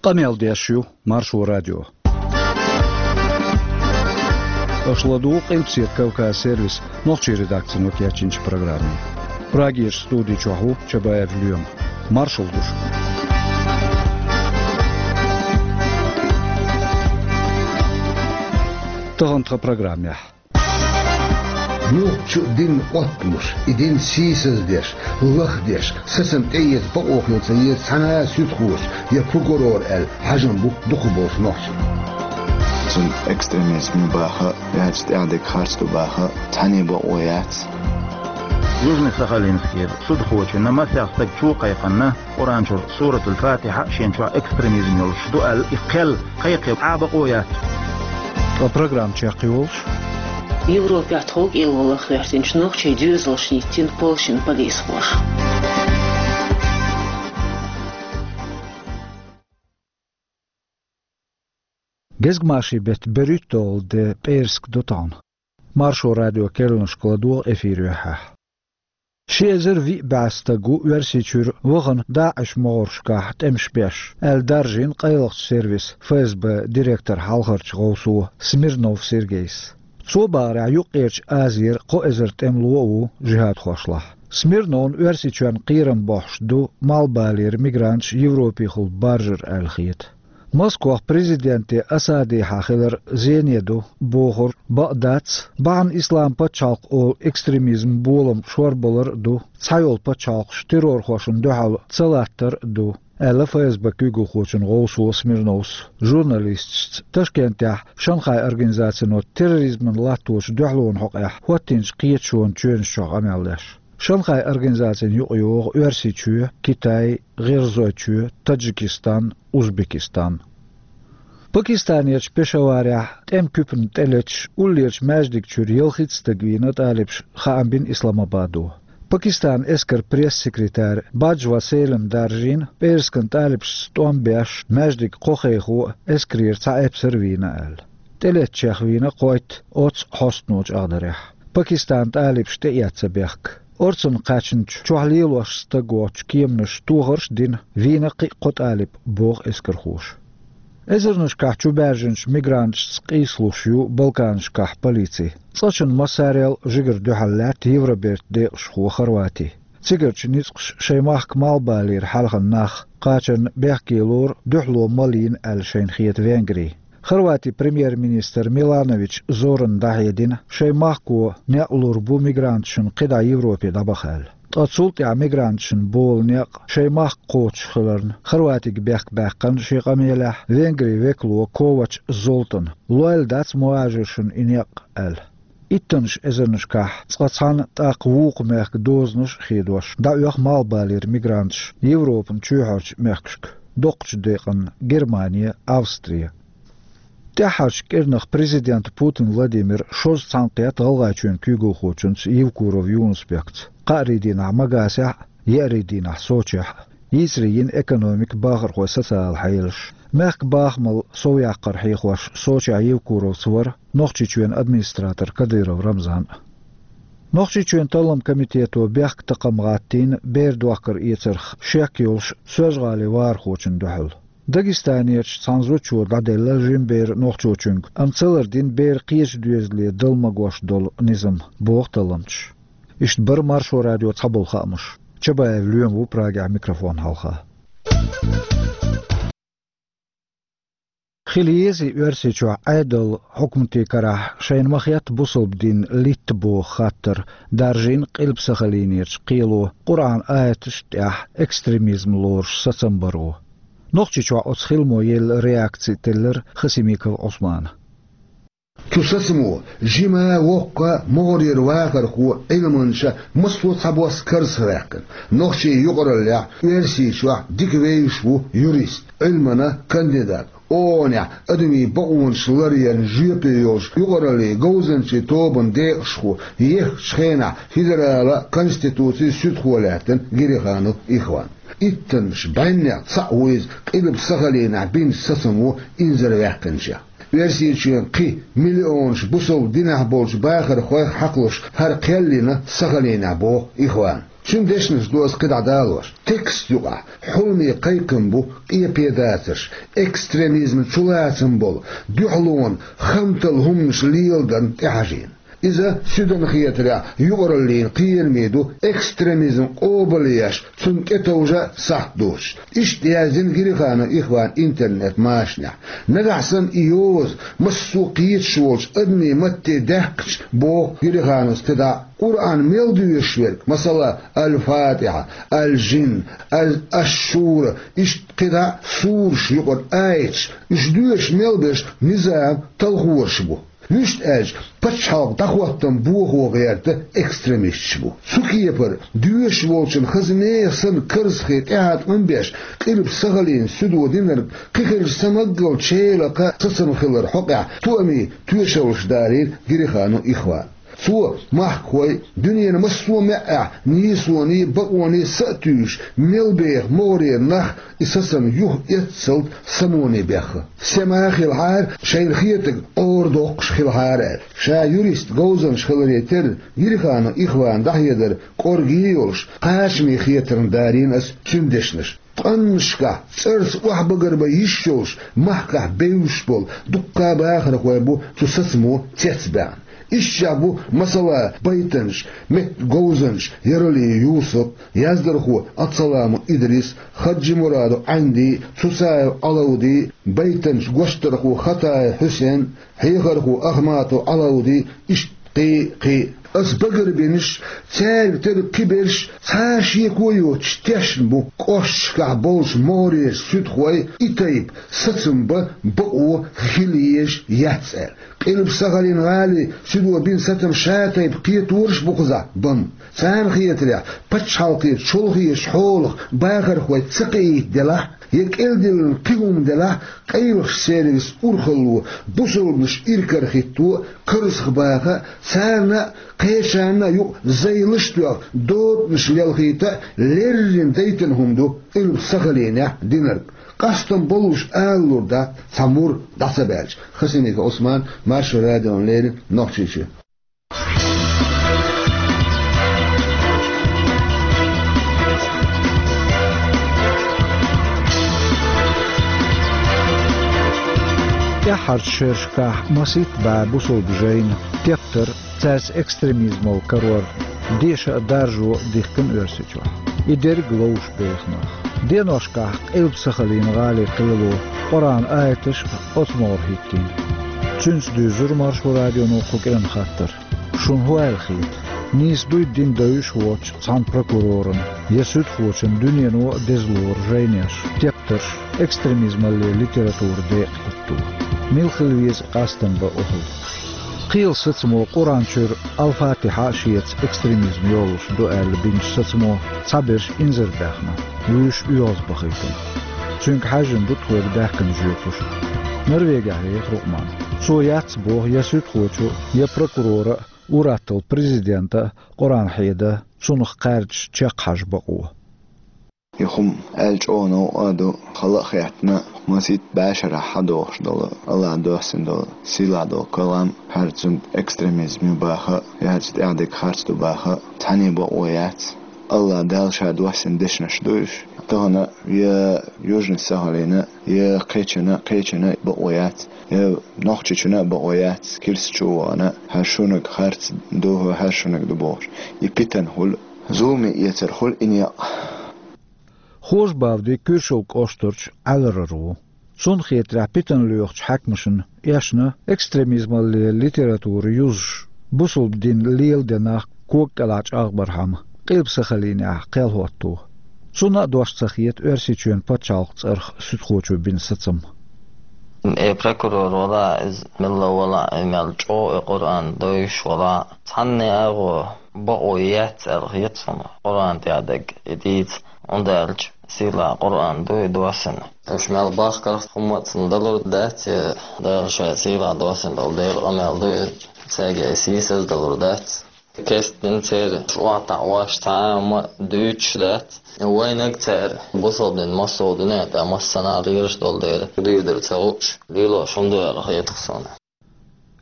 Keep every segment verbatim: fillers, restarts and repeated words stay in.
Къамел деш ю Маршо радио. Аша ладугӀу Къилбаседа Кавказ сервисан нохчийн редакцино кечйинчу программе. Прагерчу студи чохь ву Чабаев Лоьма. Маршалла ду шуьга. Тахана тхан программехь. Юха чу динан оттамаш, и дин сийсаздеш, лахдеш, сацам тӀеэца бакъо хила ца еза цхьана а суьдхочо я прокурора аьлла хьажам бу дукхахболчу нохчийн. Цунна экстремизм ю баха а, яьлча тӀаьхьа дерг харц ду баха а цхьаьна а бакъо яц. Южно-Сахалинскера судхочунна масех стаг чу а кхайкхина, Къуръан чуьра Суратул-Фатихьа шен чохь экстремизм йолуш ду аьлла, и кхел кхайкхо Ӏа бакъо яц. Ткъа программа чекхйолуш. Европехь тхов кӀело лаха гӀоьртинчу нохчийн доьзалшна йиттина Польшин полисхоша. Гезгмашин беттан берхӀитталгӀа де пӀераска ду тахана. Маршо радион керланашка ладогӀа эфир юьххьехь. Ши эзар виъ бӀе стаг ву Оьрсийчуьра вахана ДАИШ могӀаршкахь тӀемаш беш, аьлла даржийна къайлахчу сервисан ФСБ директоран хьалхарчу гӀовсо Смирнов Сергейс. Цо бахарехь, Юккъерчу Азера кхо эзар тӀемало а ву жихӀадхошлахь. Смирновна Оьрсийчоьнна кхерам бохьуш ду Малхбалера мигранташ Европехула баржар аьлла хета. Москвахь президенте Асадехьа хилар зене ду бохург бакъ дац, бахьана Ислам пачхьалкх олу экстремизман болам шорбалар а ду, цхьайолу пачхьалкхаш террорхошна дуьхьал ца латтар а ду, аьлла ФСБ куьйгалхочун гӀовсо Смирновс журналисташца Ташкентехь Шанхай организацино терроризмана латточу дуьхьалонан хьокъехь хӀоттийначу кхеташонан чоьнаш чохь къамел деш. Шанхай организацина юкъайогӀу Оьрсийчоь, Китай, ГӀиргӀазойчоь, Таджикистан, Узбекистан. Пакистанерчу Пешаварехь тӀеман куьпана тӀелеташ уллерчу маьждиг чуьра ялхитта стаг вийна тӀалибаша, хаам бина Исламабадо. Пакистанан эскаран пресс-секретарь Баджва Селима даржийна, пӀераскан тӀалибашца тӀом беш, маьждиган кхо хехо а, эскарера цхьа эпсар а вийна аьлла. ТӀелеттачех вийна кхойтта оццу хьостано чӀагӀдарехь. Пакистанан тӀалибаш тӀеэцна бехк. Орцанна кхаьчначу чохь лелош стаг воцчу кеманаша тохарш а дина, вийна кхин а кхо тӀалиб, боху эскархоша. Эзарнашкахь чубаьржинчу мигранташца къийсалуш ю Балканашкахь полици. Цкъачунна массарел а жигара дуьхьал лаьтта Евробертан декъашхо Хорвати. Цигарчу ницкъаша шайн махка малхбалера хьаьлхана нах кхачарна бехке лору дуьхьало ма лийна аьлла шайна хета Венгри. Хорватин премьер-министр Миланович Зорана дӀахьедина, шайн махко некъ лур бу мигранташна кхидӀа Европе дӀабаха аьлла. Ткъа цул тӀаьхьа мигранташна болу некъ шайн махка кхочуш хиларна, Хорватига бехк баьккхина шен къамелехь Венгрин векало Ковач Золтана, лойла дац мухӀажаршна и некъ аьлла. Иттаннаш эзарнашкахь цкъа цхьана, тӀаккха вукху мехкан дозанаш а хедош, дӀаоьху малхбалера мигранташ Европан чоьхьарчу мехкашка, доккхачу декъанна Германе, Австре. ТӀаьххьарчу кӀирнах президент Путин Владимира шозза цхьаьнакхетта ГӀалгӀайчоьнан куьйгалхочуьнца Евкуров Юнус-Бекца, кхаарин дийнахь Магасехь а, еарин дийнахь Сочехь а. Йийцаре йина экономика, бахархойн социалан хьелаш, мехкан бахамал совъяккхар хьехош Сочехь Евкуровца вара Нохчийчоьнан администратор Кадыров Рамзан а. Нохчийчоьнан талламан комитето бехк такхам гӀаттийна бер дохкар-эцарх шек йолуш Соьлжа-ГӀалин вахархочунна дуьхьал. Дагестанерчу цхьана зудчо дӀаделла жима бер нохчочуьнга, амма ца лардина бер кхечу доьзале дала магош долу низам, боху талламчаша. Иштта бара Маршо радион цхьаболу хаамаш. Чабаев Лоьма ву Прагехь микрофон хьалха. Хила езий Оьрсийчохь Ӏедалан хьукматийн карахь шайна ма-хетта бусалба дин литта боху хаттар даржийна Къилба-Сахалинерчу кхело Къуръан аяташна тӀехь экстремизм лоруш сацам баро. Нохчийчохь оцу хиламо елла реакци теллира Хасимиков Ӏусмана. Цу сацамо жима, воккха, могӀарера вахархо, Ӏилманча массо а цхьабосса карзахваьккхина. Нохчийн юкъараллехь Оьрсийчохь дика вевзаш ву юрист, Ӏилманан кандидат, ООН-ехь адамийн бакъонаш ларъярна жоьпе йолуш юкъараллин говзанчийн тобанан декъашхо, еххачу хенахь федералан конституцин суьдхо лаьттина Гериханов Ихван. Иттаннаш бӀеннех цхьаъ ву иза Къилба-Сахалинехь бинчу сацамо инзарваьккхинчех. Оьрсийчоьнан кхин миллионаш бусалба динехь болчу бахархойх хьакхалуш хӀара кхел йина Сахалинехь, боху Ихвана. Цуьнан дешнаш ду ас кхидӀа далош. Текст юкъахь хьуламе кхайкхам бу къепедацарш, экстремизм чулацам болу, дуьхьалонан, хантал хӀуманаш леладарна тӀехьажийна. Иза, суьдан хетарехь, юкъараллин кхераме ду, экстремизм къобалъеш, цунна тӀетовжа сахьт доцуш. Иштта яздина Гирихану Ихван интернет-машанехь. Нагахь санна и йоза массо а кхеташ волчу адамийн матте даьккхича, боху Гириханус кхидӀа, Къуръан мел доьшуш верг, масала, Аль-Фатихьа, Аль-Жин, Аль-Аш-Шура, иштта кхидӀа сураш юкъара аяташ, уьш доьшуш мел берш низам талхораш бу. Вуьшта аьлча, пачхьалкх дӀахӀоттам бохо гӀерта экстремисташ бу. Цу кепара, доьшуш волчун хаза нехан санна карзахе тӀехьа тӀом беш, Къилба Сахалина суьдо динарг кхин хилча самаггал челакха сацам хилар хьокъехь тоамийн тоьшаллаш далийра Гирихану Ихван. Цо махкахой, дуьненан массо а маьӀӀехь нийсоний, бакъоний са а туьйсуш, мел беха могӀарера нах и сацам юха эццалц самоне бехха. Сема хилахьара, шайна хетарг Ӏора доккхуш хилахьара аьлла. Ша юрист говзанча хиларе терра, Гирихану Ихван дӀахьедар кӀорггий йолуш, кхачамийн хетарна далийна ас цуьнан дешнаш. Ткъаннашкахь цӀарца охьабагар бан йиш йолуш, махкахь бевзаш болу дуккха а бахархой бу цу сацамо цецбаьхна. Ишттачех бу, масала, байтанча, меттан говзанча Яралиев Юсуп, яздархо Ацаламов Идрис, Хаджимурадов Ӏанди, Цуцаев Ӏалавди, байтанча, гочдархо Хатаев Хьусен, хьехархо Ахматов Ӏалавди, иштта кхин а, кхин а. Ас багарбинарш, цаьрга тера кхиберш цхьа а шеко йоцуш тешна бу, кӀошташкахь болчу могӀарерчу суьдхой и тайпа сацам бан бакъо хила езаш яц аьлла. Къилба Сахалин гӀалин суьдо бина сацам ша тайпа кхетораш а бу кхузахь бан. Царна хетарехь, пачхьалкхера чолхечу хьолах бахархой ца кхиийта делахь, я кӀелдиллина кхин хӀума делахь, къайлахчу церан иза урхалло бусалбанаш иракарахӀитто а, карзахбаха а, царна а, кхечарна а юкъа зайлаш а тоьхна, дотанаш лелхийта а леррина дайтина хӀума ду Къилба Сахалинехь динарг. Къастам болуш ала лур дац, цхьа мур дӀа ца баьлча. Хасимиков Ӏусман, Маршо радиона леррина, Нохчийчоь. ТӀаьххьарчу шерашкахь масийтта бӀе бусалба жайна тептар, цаьрца экстремизмал карор деша а, даржо а дихкина Оьрсийчохь. И дерриг ловш беха нах. Деношкахь Къилба Сахалин гӀалин кхело Къуръан аяташ а оцу могӀара хӀиттийна. Цуьнца дуьйзура Маршо радионо кху кӀиран хаттар. Шуна хӀун аьлла хета? Нийса дуй дин девзаш воцчу цхьана прокуроран я суьдхочун дуьнено а деза лору жайнеш, тептарш, экстремизмалле литература декъахӀитто? Мила хила веза къастам бан охӀла? Кхелан сацамо Къуръан чуьра Аль-Фатихьа шеца экстремизм йолуш ду аьлла бинчу сацамо цхьаберш инзарбаьхна, вуьйш оьгӀазбахийтина. Цуьнга хьаьжжина ду тхоьга даьхкина жоьпаш. Норвегехь веха Рукъман. Цо яц боху я суьдхочо, я прокурора а, ур-атталла президента а Къуръан хьеда, цунах кхаьрдаш чекххьажа бакъо. И хӀума аьлла чӀогӀа новкъа а ду, хала а хеттина, масийтта бӀе шарахь хьадогӀуш долу, АллахӀа доссина долу, сийлахь долу калам, хӀара цуьнан экстремизм ю баха а, я хӀара цу тӀехь дерг харц ду баха а, цхьаьна бакъо яц. АллахӀ Дала Ша доссина дешнаш ду уьш. Тахана я Южный Сахалина, я кхечанна, кхечанна бакъо яц, я Нохчийчунна а бакъо яц, кирсачу а вахана, хӀара шуьнаг харц ду, хӀара шуьнаг ду бохуш. И питана хуьлу, зуламе эцар хуьлу и некъ. Хожабавди Куьршалла кӀоштарчу Ӏаьларара ву. Цунна хетарехь, питана лоьхучу хьаькамашна эшна экстремизмалле литература юзуш, бусалба дин леладен нах кога кӀелахь чӀагӀбархьама, Къилба Сахалинехь кхел хӀотто. Цунна а дош ца хета Оьрсийчоьнан пачхьалкхан цӀарах суьдхочо бина сацам. Э, прокурор валахь, иза милла валахь, и мел чӀогӀа и Къуръан девзаш валахь, цхьанне агӀо бакъо яц аьлла хета суна, Къуръан тӀехь дерг и дийца, хӀунда аьлча сийлахь Къуръан ду и доссина. Уьш мел бахкарх хӀумма а цунна далур дац, я Дала Ша сийлахь доссина долу Делан къамел ду и, цаьрга и сийсаздалур дац. Кестина церан шу охьатаӀош цхьа а хӀума а дуьйцуш дац. Вайнаг цара бусалба дин массо а дуьнен тӀехь массанхьа а лелаш долу дела, дуьйдар ца хууш, лелош хӀума ду аьлла хета суна.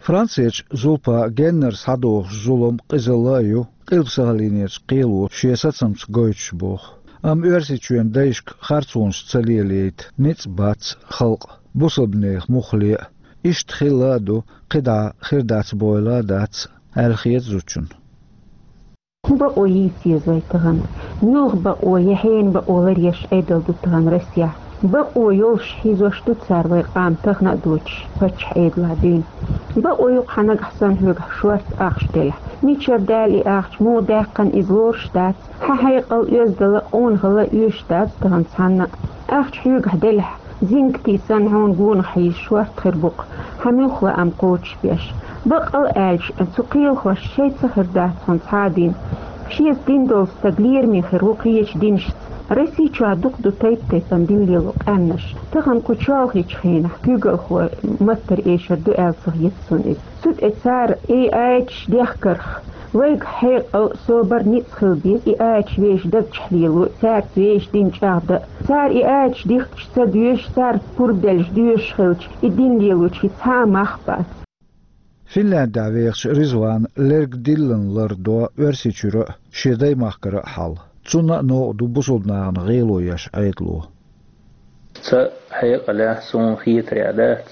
Францерчу зулпа геннара схьадогӀуш зулам къизалла а ю, Къилба Сахалинерчу кхело шен сацамца гойтуш боху. Амма Оьрсийчоьнан дайшка харцонаш ца лелайта ницкъ бац халкъан, бусалбанех муххале а. Иштта хилла а ду, кхидӀа хир дац бойла а дац, аьлла хета зудчунна. ХӀун бакъо йийца еза вай тахана? Муьлха бакъо я хьенан бакъо ларъеш Ӏедал ду тахана Россехь? Бакъо йолуш хьийзош ду цара вай къам тахана а доцуш паччахьан Ӏедалехь дуьйна. Бакъо ю-кх хьан нагахь санна хьоьгахь шорта ахча делахь. Мичара даьлла и ахча, муха даьккхина иза лоруш дац. Хьан хьекъал, оьздала, къонахалла оьшуш дац тахана цхьанна а. Ахча хьоьгахь делахь, зингатий санна хьуна гонах хьийза шорта хир бу-кх, хьан муьлха лаам кхочушбеш. Баккъала аьлча, цу кхелахошца шайца хир дац хьуна цхьа а дин. Шеца дин долу стаг лераме хир ву кхечу динашца. Россия чохь дукха ду тайп-тайпана дин лело къаьмнаш. Тахана кху чолхечу хенахь куьйгалхой маттара эшар ду аьлла ца хета суна иза. Цу тӀе цара и аяташ дехкарх, вайга хьекъал, собар, ницкъ хила беза и аяташ вешан даг чохь лело, цаьрца вешан дин чӀагӀдан. Цара и аяташ дихкича ца доьшуш, царна пурба делча доьшуш хилча, и дин лелочо цхьа а мах бац. Финляндехь вехачу Ризвана лерг диллина лардо Оьрсийчуьра а, шен даймахкара а хьал. Цунна а новкъа ду бусалба нахана гӀело еш Ӏедало. Ца хьекъалехь суна хетарехь дац,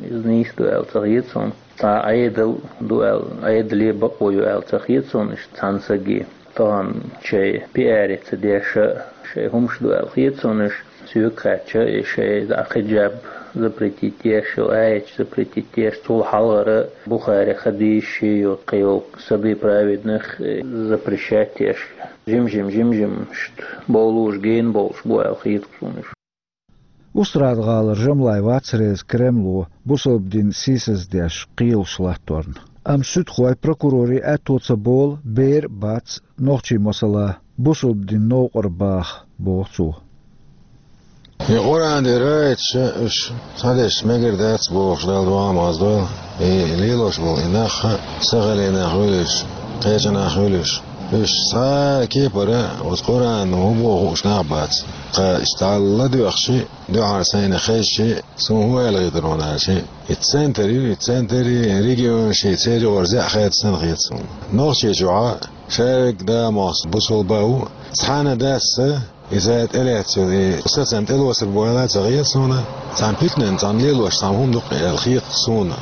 иза нийса ду аьлла ца хета суна. Цхьа Ӏедал ду аьлла, Ӏедале бакъо ю аьлла ца хета суна иштта цхьана саге. Тахана шайн пиарица деш а, шайн хӀумаш ду аьлла хета суна иштта. Соьга хаьттича, и шайн дӀа хиджаб запретить деш йолу аяташ запретить деш, цул хьалхара Бухари хадисаш ю, кхин йолу сады праведных запрещать деш. Жим-жим, жим-жим, иштта бовлуш гена болуш бу аьлла хета суна уьш. Устрада-гӀалара Жамлай вац реза Кремло бусалба дин сийсаздеш кхелаш латторна. Амма суьдхой, прокурорий аьтто ца болу бер а бац нохчийн масала бусалба дин новкъара баха, боху цо. И Къуръан тӀера аяташ уьш схьадеш мегар дац бохуш Далла дуьхьал ма хазадойла, и лелош болу и нах а сахалинах хуьлуш, кхечанах хуьлуш. Уьш цхьа а кепара оцу Къуръано хӀун боху хууш нах бац. Тхан иштта ладоьгӀча, дуьхьал сайна хезча, суна хӀун аьлла хетара ван аьлча, и центр ю, и центр, и регионаш, и церан юкъара зеӀ хеца санна хета суна. Нохчийчохь шаверг да мохс бусулба а ву, цхьана а даьсса, иза тӀелаьцна йолу и сацам тӀелоцург бойла а ца хета суна, цхьана питанан цхьана лелош цхьана хӀума ду-кх аьлла хета суна.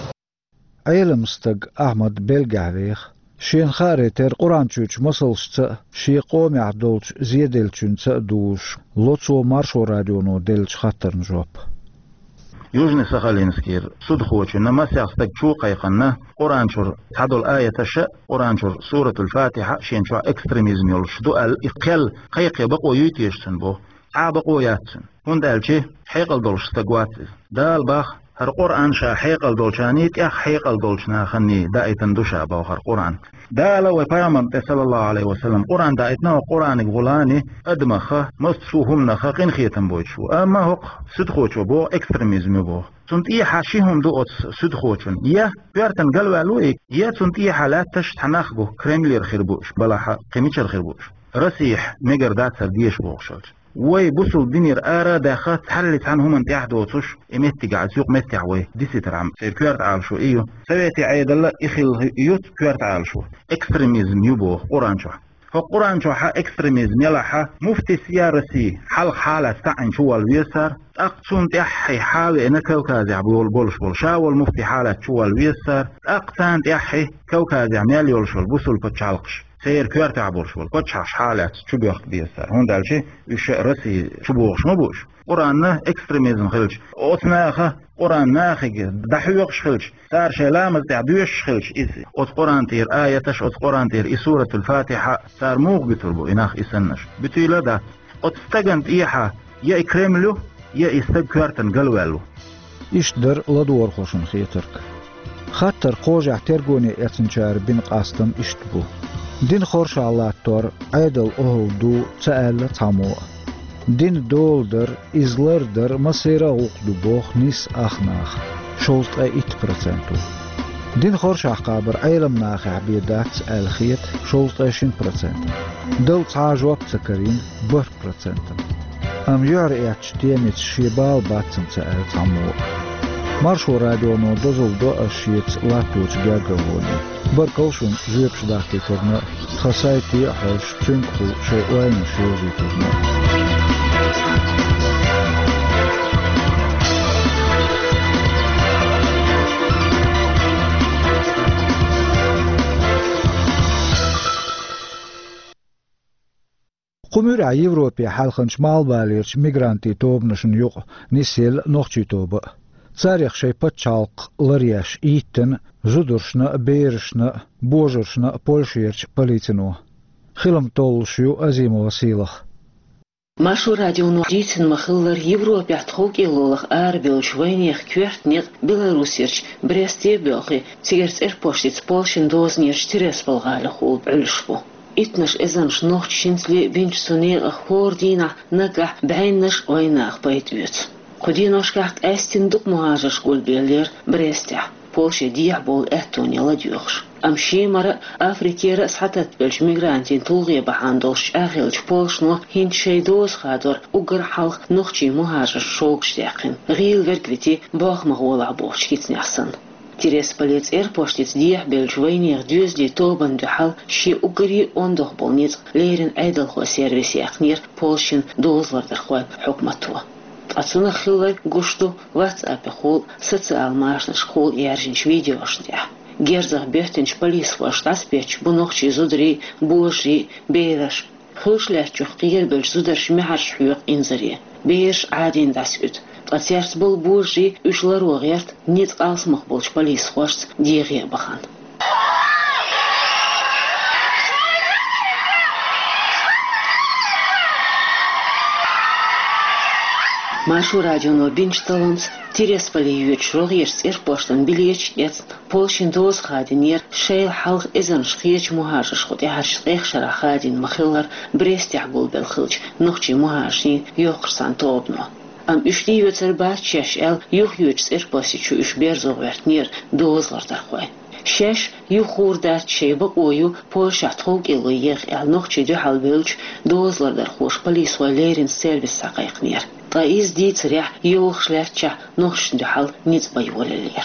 Ӏелам стаг Ахьмад Бельгехь веха. Шена хааре терра Къуръан чуьрчу масалшца а, шен къомехь долчу зеделлачуьнца а дузуш ло цо Маршо радионо деллачу хаттарна жоп. Южный-Сахалинскера судхочунна масех стаг чу а кхайкхина, Къуръан чуьра цхьадолу аяташ а, Къуръан чуьра Суратуль-Фатихьа шен чохь экстремизм йолуш ду аьлла, и кхел кхайкхе бакъо юй теша цуьнан боху. Цхьа а бакъо яц цуьнан. ХӀунда аьлча хьекъал долуш стаг вац иза. Дала боху, хӀара Къуръан ша хьекъал долчарний, тӀех хьекъал долчу наханий даийтина ду ша боху хӀара Къуръан. Дала вай пайхамарна тӀе, саллаллаху Ӏалайхи ва саллам, Къуръан даийтина, хӀокху Къуръаниг гӀулани адамаха, массо а хӀуманаха къинхетам бойтуш ву. Амма хӀокху суьдхочо боху, экстремизм ю боху. Цунна тӀехьа ши хӀума ду оцу суьдхочун. Я коьртана галваьлла ву и, я цунна тӀехьа лаьтташ цхьа нах бу, Кремлера хир бу уьш, балахьа кхин мичара хир бу уьш. Россехь мегар дацара деша бохуш хилча. Вай бусулба динера ара а даьхна, цхьалли цхьана хӀуманна тӀаьхьа доцуш, и меттигахь, оцу юкъа меттехь вай дисийтархьама, церан коьрта Ӏалашо и ю. Советийн Ӏедалан и хилла ю коьрта Ӏалашо. Экстремизм ю боху Къуръан чохь. ХӀокху Къуръан чохь экстремизм ялахь, муфтис я России, хьалха хьалаца таӀийна чуволла веза цара, тӀаккха цунна тӀаьххье хьа а веана Кавказехь болу, болуш болу ша волу муфти хьалаца чуволла веза цара, тӀаккха царна тӀаьххье Кавказехь мел йолуш йолу бусулба пачхьалкхаш, церан коьртехь болуш болу пачхьалкхаш хьалаца чубоьхка беза цара, хӀунда аьлча уьш России чубогӀуш ма бу уьш. Къуръан экстремизм хилча, оцу наха, Къуръан нахе дӀахьоькхуш хилча, цара шайн ламаз тӀехь доьшуш хилча, иза оцу Къуръан тӀера аяташ, оцу Къуръан тӀера и Суратуль-Фатихьа цара муха буьтур бу, и нах и саннаш? Буьтийла а дац. Оцу стагана тӀехьа я и Кремль ю, я и стаг коьртана галваьлла ву. Иштта дара ладогӀархошна хетарг. Хаттар кхожехь тергоне эцначара бина къастам иштта бу. Дин хоршахь латтор Ӏедалан охӀла ду ца аьлла цхьаммо а. Дин дола дар, иза лардар массеран а гӀуллакх ду боху нийса ах наха, шовзткъе итт проценто. Дин хоршахь кхабар Ӏелам нахехь бен дац аьлла хета шовзткъе шина процентана. Дала цхьа а жоп ца карийна бархӀ процентана. Амма юьхьарэцначу темица шен бала бац цунна ца аьлла цхьаммо а. Маршо радионо дозалла до ас шеца латточу гергарлоне. Баркалла шуна жоьпаш дахкийтарна, тхан сайте а хьожуш, цуьнгахула шайн ойланаш йовзийтарна. Кху муьрехь Европе хьаьлханчу малхбалерчу мигрантийн тобанашна юкъа нисъелла нохчийн тоба а. Царех шайн пачхьалкх ларъеш йиттина зударшна а, берашна а, божаршна а Польшерчу полицино. Хилам толлуш ю Азимова Сийлаха. Маршо радионо дийцина ма-хиллара, Европехь тховкӀело лаха арабевллачу вайнехан коьрта некъ Беларусерчу Бресте а боьлхий, цигара цӀерпоштица Польшин дозанерчу Тирасполь-гӀалахула Ӏуьллуш бу. Иттанаш эзарнаш нохчашца ле а бинчу цу некъах хӀора дийнахь наггахь бӀеннаш а вайнаха пайда оьцу. Кху деношкахь къаьстина дукха мухӀажарш гулбеллера Брестехь, Польше дехьабовла аьттоне ладоьгӀуш. Амма Шемара а, Африкера а схьататтабеллачу мигрантийн тулгӀе бахьана долуш чӀагӀъеллачу польшашно хӀинца шайн доза хадор уггар хьалха нохчийн мухӀажарш шогаш даьккхина, гӀийла верг вити, болх ма гӀолахь бохучу кицанех санна. Тирасполе цӀерпоштица дехьабевллачу вайнехан доьзалийн тобанна дуьхьал шен уггаре а ондох болу ницкъ леррина Ӏедалхойн сервисе яьккхинера Польшин дозалардархойн хьукмато. Ткъа цунах хилларг гуш ду WhatsApp-ехула, социал машанашкахула яьржинчу видеошна тӀехь. Герзах боьттинчу полисхошна дӀасабетташ бу нохчийн зударий, божарий, бераш. Хуьлуш лаьттачух кхерабеллачу зударша маьхьарш хьоькху инзаре, бераш Ӏадийна дӀасаоьцу, ткъа цаьрца болу божарий уьш ларо гӀерта ницкъ алсамох болчу полисхошца дегӀе а бахана. Маршо радионо бинчу талламца Тирасполе йоьдучу рогӀерчу цӀерпоштан билеташ эцна, Польшин доза хадийнера шайла хьалха эзарнаш кхечу мухӀажаршкахула тӀаьхьарчу ткъех шарахь хадийна ма-хиллара Брестехь гулбелла хиллачу нохчийн мухӀажарийн йоккхачу цхьана тобано. Амма уьш тӀеоьцур бац шаьш аьлла, юхайоьдучу цӀерпости чу уьш берзо гӀоьртинера дозалардархой. Шаьш юха гӀур дац шайн бакъо ю Польшехь тховкӀело еха аьлла нохчийн дуьхьал бевллачу дозалардархоша полисхойн леррина сервис схьакхайкхинера. Ткъа иза дийцарехь, йогӀуш лаьттачохь нохчашна дуьхьал ницкъ бан йолаеллера.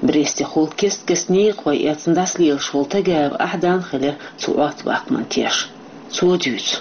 Брестехула кест-кеста некъахой эцна дӀасалелаш волу Тагаев Ахьдан хилира цу Ӏоттабаккхаман теш. Цо дуьйцу.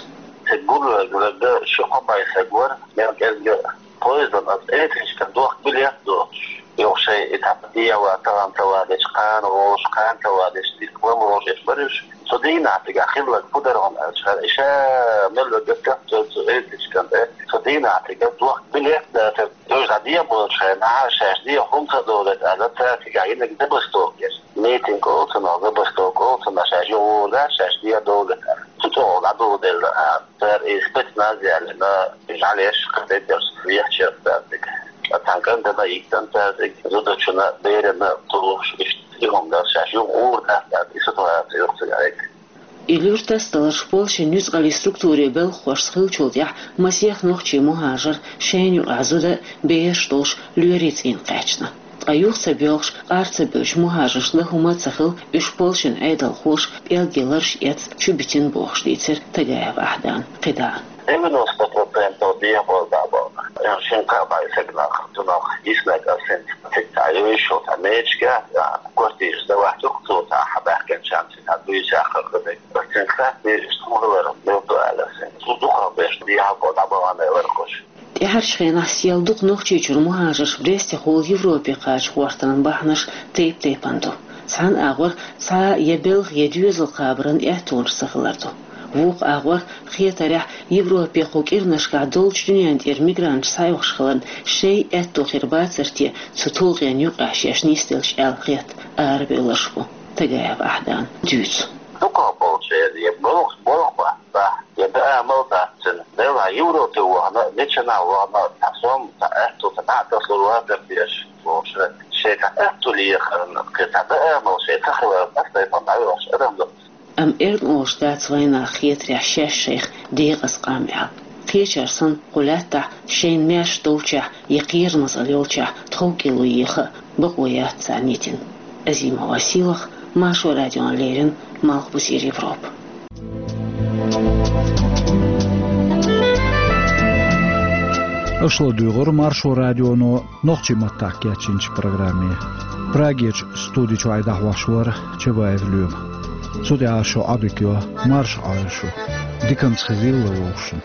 Цига гулвелла дагга ши кхо-пхи стаг вара, мел кӀезга поездана аса электричкан дохка билет а доцуш, юха шайн и тӀаккха дегӀан тахана ца вадечу, кхана гӀолуш, кхана ца вадечу, дика лама гӀолуш эш бара уьш. Цу дийнахь цигахь хилларг хӀун дара хьуна аьлча, хӀара и ша мел вегга тӀе цу электричкан тӀе, цу дийнахь цигахь дохка билет а дацара. Уьш дӀадехьаболчу хенахь шаьш дехьа хӀунда ца довлуьйту аьлла, цара цигахь йинарг забастовка яра. Митинг олу цунах, забастовка олу цунах, шаьш юха гӀур дац, шаьш дехьа довлуьйту аьлла. Цу чӀогӀа дӀадоладелла, а, цара и спецназ яьллина, и жӀаьлеш кхетадерш вехачерг цара цига. Ткъа цхьана кӀантана а йиттина цара цига, зудачунна а, берана а тухуш, иштта и хӀума дара, шаьш юха гӀур дац аьлла, и ситуаци юха цига Ӏийга. И луьра тасадаларш Польшин нуьцкъаллийн структурийн белхахошца хиллачул тӀаьхьа масех нохчийн мухӀажар шайна юкъахь зуда а, бераш а долуш лоьрийн цӀийнах кхаьчна. Ткъа юха ца боьлхуш, къар ца бевллачу мухӀажаршна дан хӀума а ца хилла, уьш Польшин Ӏедалхоша пӀелгийн лараш эцна чу битина бохуш дийцира Тагаев Ахьдана кхидӀа. Девяносто процентов дехьаболу дӀа боху. Шина-кхаа бӀе стаг нах, цунах йиснарг аса хӀинца цига цхьа йовзуш йолу цхьа мечигехь, квартираш дан вац юха цо цхьа хьан баьхкинчарна цхьа буьйса яккхар дан мега. Аса цуьнга хаьттира, иштта хӀун хилар мел ду аьлла аса хӀинца. Цу дукхах берш дехьаболу дӀа бахана лархуш. ТӀаьхьарчу хенахь сел дукха нохчийчуьра мухӀажарш Брестехула Европе кхача гӀортаран бахьанаш тайп-тайпана ду. Цхьана агӀор цхьа я белхан, я доьзал кхабаран аьттонаш ца хилар ду. Вукху агӀор, хетарехь, Европе кху кӀиранашкахь долчу дуьнен тӀера мигранташ схьаоьхуш хиларна, шайн аьтто хир бацара те цу тулгӀенна юкъахь шаьш нисделча аьлла хетта арабевлларш бу. Тагаев Ахьдана дуьйцу. Дукхах болчеран я болх, болх бац, я даа мел дац цуьнан. Делахь Европе вахана, мичанахь вахана, цхьа сом, цхьа аьтто, цхьа дӀа а тасалур вацара дезаш, бохуш, шайн цхьа аьтто лехарна, кхин цхьа даа мел шайн ца хиларна, аса тайпана дӀавоьлхуш адам ду. Амма эрна олуш дац вайнах хетарехь шаьш шайх декъаза къам аьлла. Кхечара санна, кху лаьттахь шайна маьрша долчохь я кхерамазалла йолчохь тховкӀело еха а бакъо яц царна йитина. Азимова Сийлаха, Маршо радиона леррина, Малхбузера Европа. Аша ладугӀура Маршо радионо нохчийн маттахь кечйинчу программе. Прагерчу студи чохь дӀахьош вара Чабаев Лоьма. Цу тӀехь ас шух Ӏодика йо, марша Ӏойла шу. Диканца хезийла вовшашна.